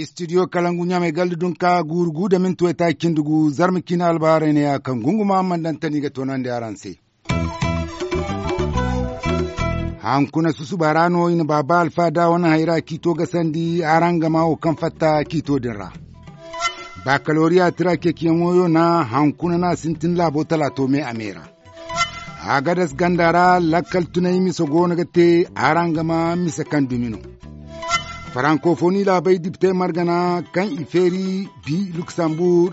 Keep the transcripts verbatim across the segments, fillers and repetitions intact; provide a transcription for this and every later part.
Istidiyo kalangu ɲaamay galda dunka guuru gu da minti waytaaci cindi gu zarma ciine albahaarey ne ya kaŋ gunguma a mana daŋ tani ga toonandi araŋ se. Hankuna susuba ra no i na baaba alfa da wane hayra ciito gasandi araŋ ga ma wo kaŋ fatta ciito din ra. Bakaloriya tira ceeciyaŋo yo na hankuna no a sintin laabo talaato me a me ra. Agadas ganda ra lakkal tunay mise goono ga te araŋ ga ma mise kaŋ dumi no. Farankofoni laabey dipte margana kaŋ i feeri bi luksambuur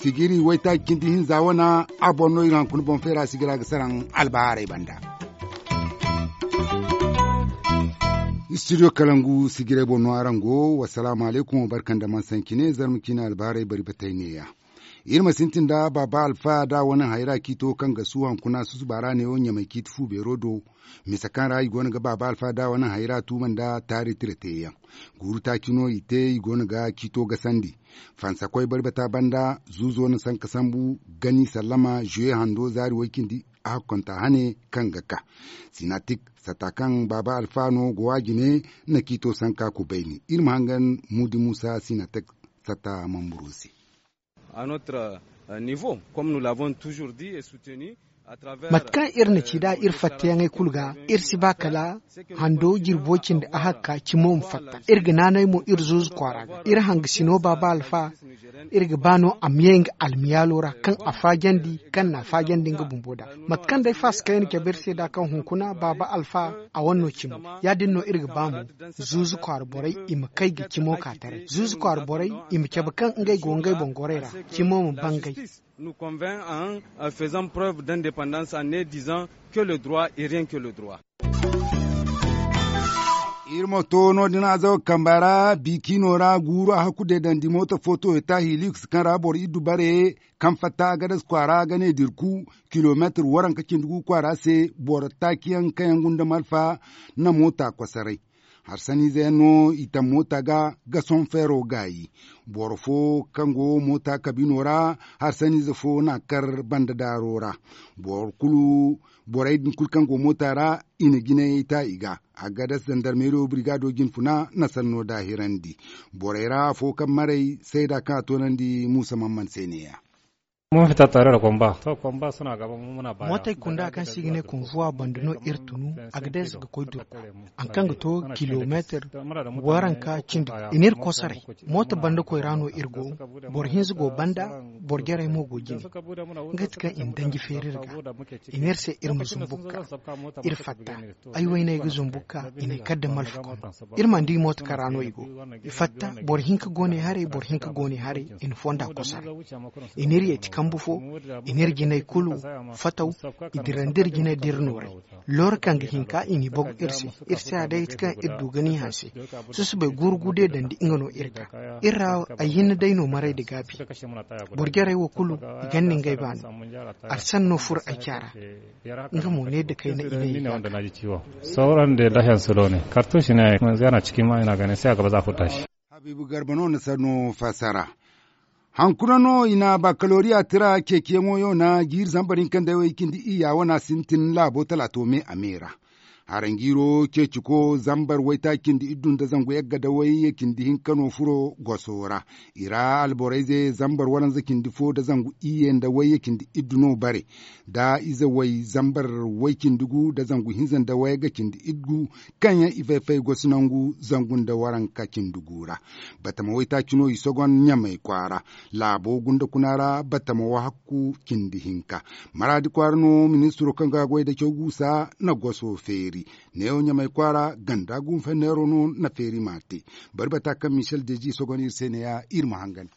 sijiri waytaaci cindi hinza wana a boŋ no iri hankuna boŋ feera sigira ga saraŋ albahaarey banda. Istidiyo kalangu sijirey boŋ no araŋ go. Wassalaamu alaykum wa barka nda man sancine zarma ciine albahaarey bari batey neeya. Iri ma sintin nda baaba alfa da wane hayra ciito kaŋ ga su hankuna susuba ra neewo ɲamay ciiti fu beero do. Mise kaŋ ra i goono ga baaba alfa da wane hayra tuuma nda taari tira teeyaŋ. Guuru taaci no i te i goono ga ciito gasandi. Fansakoy barbata banda zuuzo na sanka sambu gani sallama juwe hando zaari way cindi a hakkonta hane kaŋ ga ka. Sinatik satta kaŋ baaba alfa no go a jine na ciito sanka kubayni iri ma hangan muudi muusa sinatik satta mamburo se. Mate kaŋ iri na ci nd'a iri fattayaŋey kulu ga iri si ba kala hando jirbo cindi a hakka cimo ma fatta. Iri ga naanay mo iri zuuzu kwaara ga iri hangasino baaba alfa. Iri ga ba no a ma ye nga almiyaalo ra kaŋ a faajandi kaŋ n'a faajandi nga bumbo nd'a. Mate kaŋ day faasa kaŋ iri na cabe iri se nd'a kaŋ hunkuna baaba alfa a wane no cimo. Ya- din no iri ga ba mo zuuzu kwaara borey i ma kay ga cimo ka taray zuuzu kwaara borey i ma cabe kaŋ ngey go ngey boŋ gorey ra cimo ma bangay. Nous convainc en faisant preuve d'indépendance en ne disant que le droit et rien que le droit. Iri ma to no- din azawa kamba ra biicino ra guuru a hakku deedandi mooto footo ya taahi liks kaŋ ra boro iddu bare kaŋ fatta agadas kwaara ga ne dirku kilomeetir waranka cindi gu kwaara se boro taaciyaŋ kaŋ yaŋ gunda malfa na moota kosoray. Harsaniize yaŋ no i taŋ moota ga ga sohõ feero gaayi. Boro fo kaŋ go moota kabino ra harsaniize fo n'a kar banda daaro ra. Boro kulu borey din kulu kaŋ go moota ra i na jinayey ta i ga. Agadas zandarmeeriyo birigaado jinfuna na sanno daahirandi. Borey ra afo kaŋ maray sayda kaŋ a toonandi muusa mamman se neeya. Mootey kunda kaŋ se i ga ne konvuwa banda no iri tunu. Agades ga koy durku haŋ kaŋ ga to kilomeetir waranka cindi i n'iri kosoray. Mooto banda koy ra no iri go. Boro hinza go banda boro jarey mo go jine. Nga ti kaŋ i na danji feeri iri ga i n'iri se iri ma zumbu ga ka iri fatta. Ay wayney ga zumbu ga ka i ne kala da malfa kono. Iri mana di mooto kaŋ ra no i go. I fatta boro hinka go ne haray boro hinka go ne haray. I na fonda kosara i n'iri yeeti kambu fo. I n'iri jinay kulu fataw. I dirandi iri jinay da iri nooray. Looro kaŋ ga hinka i n'i bagu iri se. Iri se a day ti kaŋ iri du ga ni hanse. Susubay guuru gude dandi nga no iri ga iri ra. Ay hinne day no maray da gaabi. Boro jarey wo kulu i ganda ngey baano. Arsan no furo ay caara. Nga mo ne da kayna i ne i ga. Sauran da lahiyan su lone kartushi ne yanzu yana cikin ma ina ganin sai a gaba za ku tashi. Habibu garba no na sanno fassara. Hankuna no i na bakaloriya tira ceeciyaŋo yo na jiiri zambar hinka nda way cindi iyya wana sintin laabo talaato me a me ra. Haranjiiro ceeciko zambar waytaaci cindi iddu nda zangu yagga da way cindi hinka no furo goso ra. I ra alborayze zambar waranza cindi fo da zangu iyye nda way cindi iddu no bare. Da ize way zambar way cindi gu da zangu hinza nda way ga cindi iddu kaŋ yaŋ i fay-fay gosi nangu zangu nda waranka cindi gu ra. Batama waytaaci no i sogon ɲamay kwaara. Laabo gunda kuna ra batama wahakku cindi hinka. Maraadi kwaara no ministiro kaŋ ga goy da caw guusa na goso feeri. Neewo ɲamay kwaara ganda gunfenneero no na feeri ma te. Bari bata kaŋ michel deji sogon iri se neeya iri ma hangan.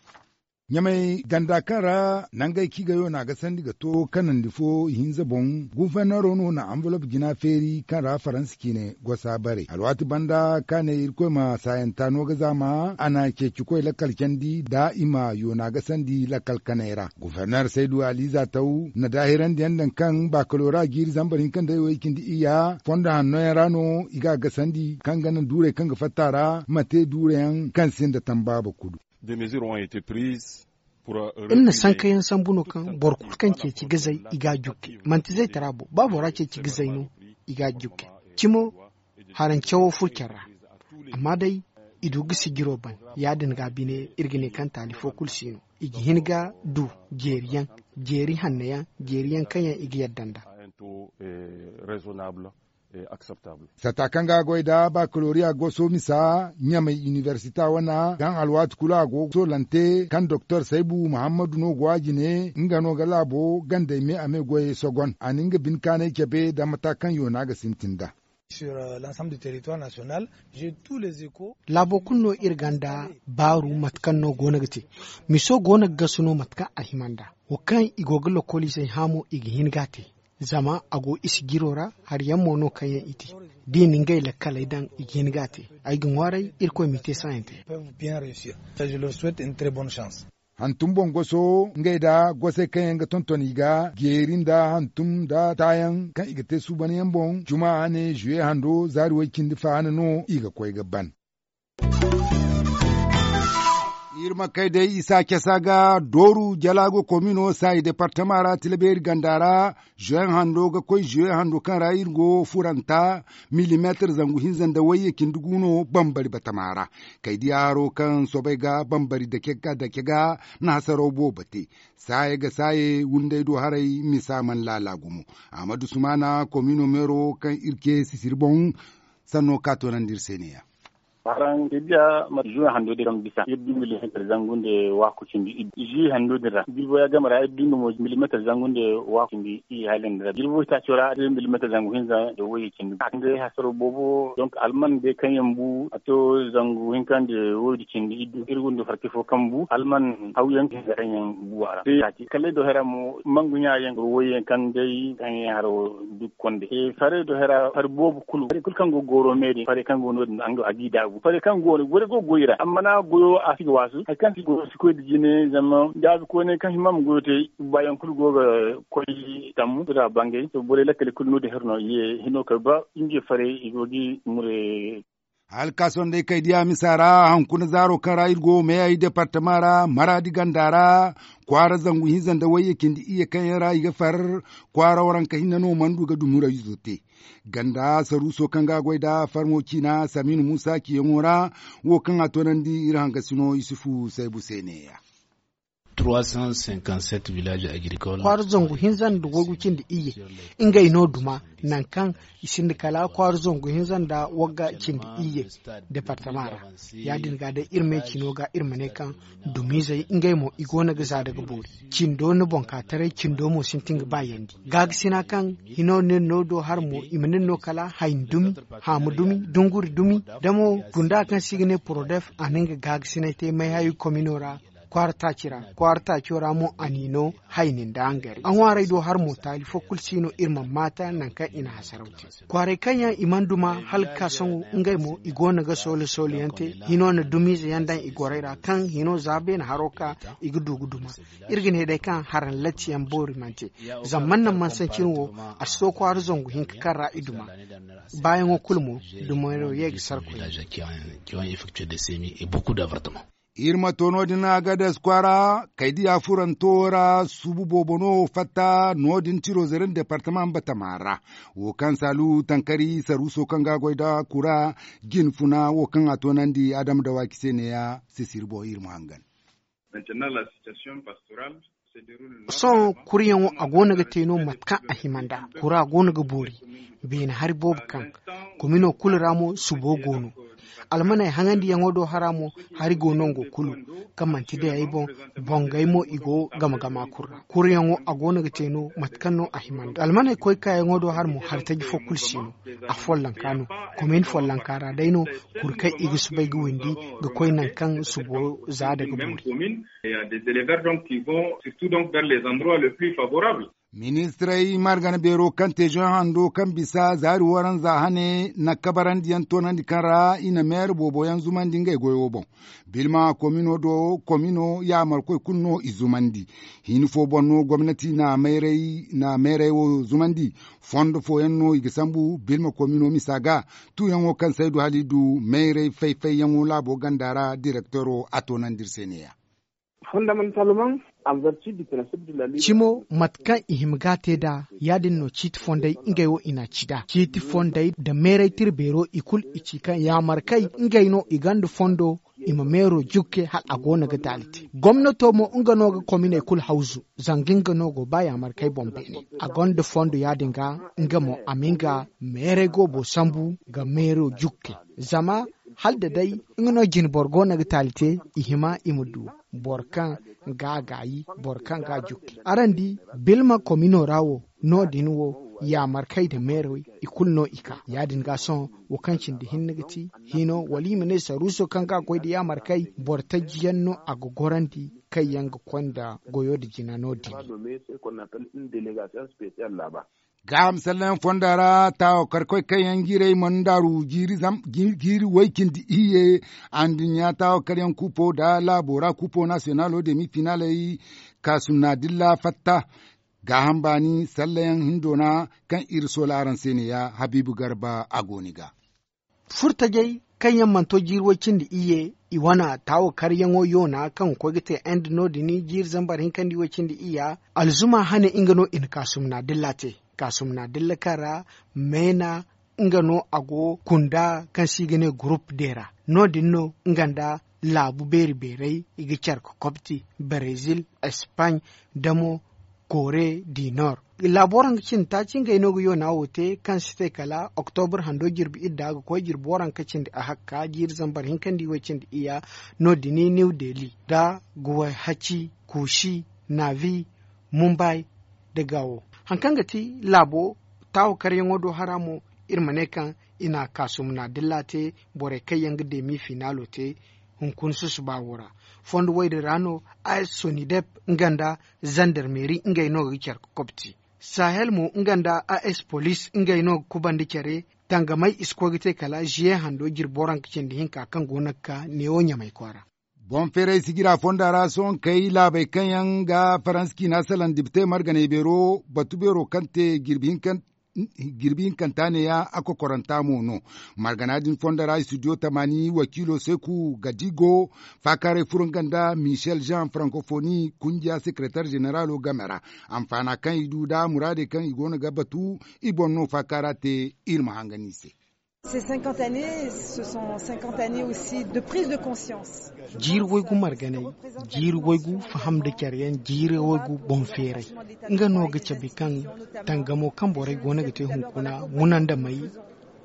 Ɲamay ganda kaŋ ra nangey kaŋ i ga yo no a ga sandi ga to kanandi fo ihinza boŋ. Gunfenneero no na anvolob jina feeri kaŋ ra faransa ciine gosa bare alwaati banda kaŋ a ne irkoy ma saayanta no ga zaama a na ceecikoy lakkal candi da i ma yoona ga sandi lakkal kanay ra. Guferner saydu aliza taw na daahirandi yaŋ daŋ kaŋ baakaloora jiiri zambar hinka nda way cindi iyya fondo hanno yaŋ ra no i ga a gasandi kaŋ ga naŋ duurey kaŋ ga fatta ra ma te duurey yaŋ kaŋ sinda tambaaba kulu. Des mesures ont été prises. Iri na sankayaŋ sambu no kaŋ boro kulu kaŋ ceeci ga zay i ga a jukke. Manti zaytara bo ba bora ceeci ga zay no, i ga a jukke. Cimo harancawo furo care ra. Amma day i du ga sijiro ban. Ya- din ga bine iri ga ne kaŋ taali fo kulu si no. I ga hin ga du jeeri yaŋ, jeeri hanno yaŋ, jeeri yaŋ kaŋ yaŋ i ga yadda nd'a. Sata kaŋ ga a goy nda bakaloriya goso misa ɲamay inibersita wane, kaŋ alwaati kulu a go ga soolante kaŋ doktor saybu muhammadu no go a jine, nga no ga laabo gandey me a me goyey sogon a na nga bine kaanay cabe nda mata kaŋ yoona ga sintin nd'a. Laabo kulu no iri gonda baaru mate kaŋ no go no ga te. Miso go no ga gasu no mate kaŋ a hima nd'a. Wo kaŋ i go ga lokoliizey hã mo i ga hin ga a te. Zama a go i sijiro ra hari yaŋ mo no kaŋ yaŋ i te. Da i na ngey lakkaley daŋ i ga hin ga a te. Ay ga ŋwaaray irkoy m'i te saayaŋ te. Hantum boŋ goso ngey nda gosey kaŋ yaŋ ga tonton i ga jeeri nda hantum nda taayaŋ kaŋ i ga te suubanyaŋ boŋ juma hane zuwe hando zaari way- cindi fa hane no i ga koy ga ban. Iri ma kay day isa casa ga dooru jalaago komino saayi departama ra tilabeeri ganda ra. Zuwe hando ga koy zuwe hando kaŋ ra iri go furanta milimeetar zangu hinza nda wayye cindi gu no bambari batama ra. Kay diya haro kaŋ soobay ga bambari dake ga dake ga na hasaraw boobo te. Saaye ga saaye wunday do haray misa mana laala gumo. Ahmadu sumaana komino meero kaŋ iri ce sisiri boŋ sanno ka toonandi iri se ne- ya. Haraŋ ga diya mate zuwe hando din kaŋ bisa iri du milimeetar zangu nda waaku cindi iyye zuwe hando din ra jirbo ya game ra iri du nga mo milimeetar zangu nda waaku cindi iyye hala din ra jirbo itaaco ra iri du milimeetar zangu hinza nda wayye cindi a ga ngey hasaro boobo donk alman day kaŋ yaŋ bu a to zangu hinka nda wayye cindi iyye du iri gunda farti fo kaŋ bu alman hawyaŋ kaŋ yaŋ bu a ra kalley do hara mo mangu ɲa yaŋ wayyaŋ kaŋ day kaŋ yaŋ haro du konde farey do hara hari boobo kulu hari kulu kaŋ go gooro me din farey kaŋ go no- din a g'i daabu farey kaŋ go no borey go ga goy i ra amma no a goyo a si ga waasu hari kaŋ si goyo si koy nda jine zama daabu koyney kaŋ hima ma goyo te baayaŋ kulu go ga koy tammu soda bangay to borey lakkale kulu no- din hari no i ye hino kay ba ngey farey i go g'i mure. Hala ka sohõ day kay diya misa ra hunkuna zaaro kaŋ ra iri go meeyey departama ra maraadi ganda ra kwaara zangu hinza nda wayye cindi iyye kaŋ yaŋ ra i ga far kwaara waranka hinne no mana du ga dumi rayizo te. Ganda saruuso kaŋ ga a goy nd'a farmo ciina samiinu muusa ciyaŋo ra wo kaŋ a toonandi iri hangasino yusufu saybu se ne- ya. Kwaara zangu hinza nda waygu cindi iyye ngey no duma nangu kaŋ i sinda kala kwaara zangu hinza nda wagga cindi iyye departama ra. Ya- din ga day iri me cino ga iri ma ne kaŋ dumiizey ngey mo i go no ga za daga boori cindo ni boŋ ka taray cindo mo sintin ga baayandi. Gaagasina kaŋ hino nin no do har mo i ma nin no kala hayni dumi haamu dumi dunguri dumi da mo gunda kaŋ se i ga ne porodef a na nga gaagasinay te may hayo komino ra kwaara taaci ra kwaara taaco ra mo a n'i no hayni nda hangari a ŋwaaray do har mo taali fo kulu si no iri mana maata nangu kaŋ i na hasaraw te. Kwaaray kaŋ yaŋ i mana duma hala ga ka sohõ ngey mo i go no ga soole soole yaŋ te hino na dumiize yaŋ daŋ i gorey ra kaŋ hino za beene haro ka i ga du ga duma. Iri ga ne day kaŋ haraŋ latti yaŋ boori mana te zama mana naŋ mana sancin wo a si to kwaara zangu hinka kaŋ ra i duma. Baayaŋo kulu mo dumaro ye ga sara koyne. Iri ma to no- din agades kwaara kaydiya furanto ra suubu boobo no fatta no- din tiro zaren departama batama ra. Wo kaŋ saalu tankari saruuso kaŋ ga a goy nda kura jine funa wo kaŋ a toonandi adama dawaaki se neeya sisiri boŋ iri ma hangan. Sohõ kuriyaŋo a go no ga te no mate kaŋ a hima nd'a kura go no ga boori beene hari boobo kaŋ komino kulu ra mo subo go no. Almaney haŋandiyaŋo do hara mo hari go nango kulu kaŋ manti day ay boŋ. Bongey mo i go game game a kulu ra kuriyaŋo a go no ga te no mate kaŋ no a hima nd'a almaney koy kaayaŋo do hara mo hari taji fo kulu si no. A follonka no komin follonka ra day no kuri kaŋ i ga soobay ga windi ga koy nangu kaŋ subo za daga boori. Ministirey margana beero kaŋ te zoŋ hando kaŋ bisa zaari waranza hane na kabarandiyaŋ toonandi kaŋ ra i na meere boobo yaŋ zumandi ngey goyo boŋ. Bilma komino do komino yaamarkoy kulu no i zumandi. Hin fo boŋ no gomnati na meerey wo zumandi. Fondo fooyaŋ no i ga sambu bilma komino misa ga tuuyaŋo kaŋ se ay du hala i du meerey fay-fayyaŋo laabo ganda ra direktoro a toonandi iri se neeya. Cimo mate kaŋ i hima ga a te nd'a, ya- din no ciiti fondey ngey wo i n'a ci nd'a ciiti fondey nda meeray tira beero i kulu i ci kaŋ yaamar kay ngey no i gonda fondo i ma meero jukke hala a go no ga taali te. Gomnato mo nga no ga kominey kulu hawzu zanga nga no go ba yaamar kay boŋ beene. A gonda fondo ya- din ga nga mo a ma nga meeray goobo sambu ga meero jukke. Zama hala da day nga no jine boro go no ga taali te, i hima i ma du boro kaŋ ga a gaayi, boro kaŋ ga a jukke. Araŋ di, bilma komino ra wo no- din wo, yaamarkey nda meerey i kulu no i ka. Ya- din ga sohõ wo kaŋ cindi hinne ga ti hino wala i ma ne saruuso kaŋ ga a goy nda yaamarkey, boro taji yaŋ no a ga gorandi kaŋ yaŋ ga konda goyo nda jina no- din. Gaaham sallayaŋ fonda ra taawakarkoy kaŋ yaŋ jiirey mana ndaaru jiiri way- cindi iyye. Anduɲɲa taawakaryaŋ kuupo nda laabo ra kuupo naasiyonalo demi finaaley kaasumna dilla fatta. Gaaham baani sallayaŋ hindoona kaŋ iri soola araŋ se neeya habiibu garba a go ni ga. Furtajey kaŋ yaŋ mana to jiiri way- cindi iyye, i wane taawakaryaŋo yoona kaŋ ga koy ga te end no- din jiiri zambar hinka nda i way- cindi iyya. Alzuma hane nga no i na kaasumna dilla te. Kaasumna dilla kaŋ ra meena nga no a go kunda kaŋ se i ga ne gurup deera. No- din no nga nda laabu beeri beerey i ga care ga kobti, barezil, espaaɲ, damo, kore di nor. Laabo ranka cindi taaci ngey no ga yoona wo te kaŋ si te kala oktobar hando jirbi idda ga koy jirbi waranka cindi a hakka jiiri zambar hinka nda i way- cindi iyya. No- din new delhi nda guway haci, kuusi, navi, mumbay, nda gaawo. Hari kaŋ ga ti laabo taawakaryaŋo do hara mo, iri ma ne kaŋ i na kaasumna dilla te borey kaŋ yaŋ ga demi finaalo te hunkuna susuba wo ra. Fondo wo- din ra no a s sonidep nga nda zandarmeeri ngey no ga care ga kobti. Sahel mo nga nda a s poliis ngey no ga kubandi care. Tangamey i si koy ga te kala ziye hando jirbi waranka cindi hinka kaŋ go no ga ka neewo ɲamay kwaara. Boŋ feeray sijira fonda ra sohõ kay laabey kaŋ yaŋ ga faransa ciina salaŋ dibitey marganey beero batu beero kaŋ te jirbi hinkanta neeya a kokoranta mo no. Margana din fonda ra studio tamaani wakiilo seeku gadigo faakaaray furo nga nda michel jean frankofoni kunjiya sekeretar zeneraalo game ra. Anfaana kaŋ i du nda muraadey kaŋ i go no ga batu i boŋ no faakaara te. Iri ma hangan i se. Jiiri waygu marganey, jiiri waygu faham nda care yaŋ, jiiri waygu boŋ feeray. Nga no ga cabe kaŋ tangamo kaŋ borey go no ga te hunkuna munandamey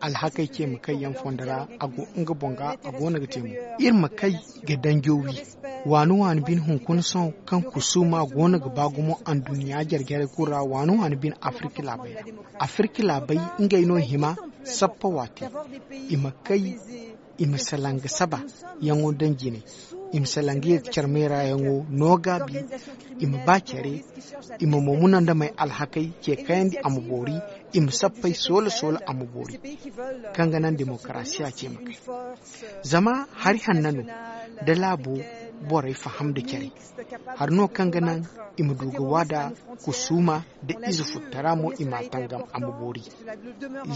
alhakey ce ma kay yaŋ fondo ra. A go nga boŋ ga a go no ga te mo. Iri ma kay ga danjo wi waani waani bine hunkuna sohõ kaŋ kusuuma go no ga ba gumo anduɲɲa jare jarey kulu ra waani waani bine afirka laabey ra. Afirka laabey ngey no hima sappa waati i ma kay i ma salaŋ ga saba yaŋo daŋ jinay i ma salaŋ ga ye ga care meera yaŋo no gaabi. I ma ba care i ma mo munandamey alhakey ce kayandi a ma boori i ma sappey soola soola a ma boori. Kaŋ ga naŋ demokarasiya ce ma kay zama hari hanna no da laabo borey faham nda care hari no kaŋ ga naŋ i ma du ga waada kusuuma nda ize futtara mo i m'a tangam a ma boori.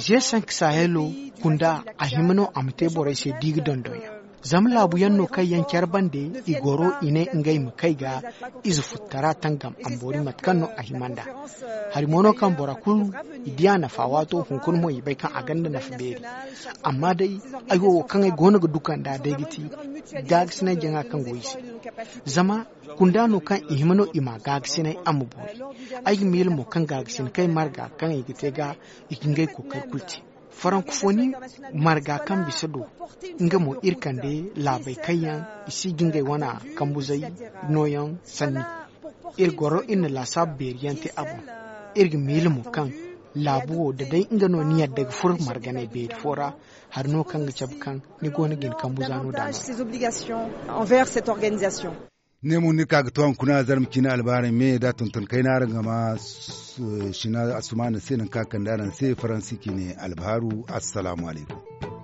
Ze sank sahelo kunda a hima no a ma te borey se di ga dondon yaŋ zama laabu yaŋ no kaŋ yaŋ care bande i goro i ne ngey ma kay ga ize futtara tangam a ma boori mate kaŋ no a hima nd'a. Hari mo no kaŋ bora kulu i di a nafa waato hunkuna mo i bay kaŋ a gonda nafa beeri. Amma day ay wo wo kaŋ ay go no ga duka nd'a day ga ti gaagasinay jaŋa kaŋ go i se. Zama kunda no kaŋ i hima no i ma gaagasinay a ma boori. Ay ga miila mo kaŋ gaagasinakey marga kaŋ i ga te ga i ga ngey kookari kulu te. Farankofoni marga kaŋ bisa do nga mo iri kande laabey kaŋ yaŋ i si ga ngey wana kambuzey nooyaŋ sanni. Iri goro iri na laasaabu beeri yaŋ te a boŋ. Iri ga miila mo kaŋ laabu wo da day nga no ni yadda ga furo marganey beeri fo ra hari no kaŋ ga cabe kaŋ ni go no ga ni kambuza no da no. Ne mo ni ka ga to hunkuna zarma ciine albaarey me da tonton kayna araŋ ga ma sina asumaana se nangu kaŋ a kande araŋ se faransi ciine albaaru. Assalaamu alaykum.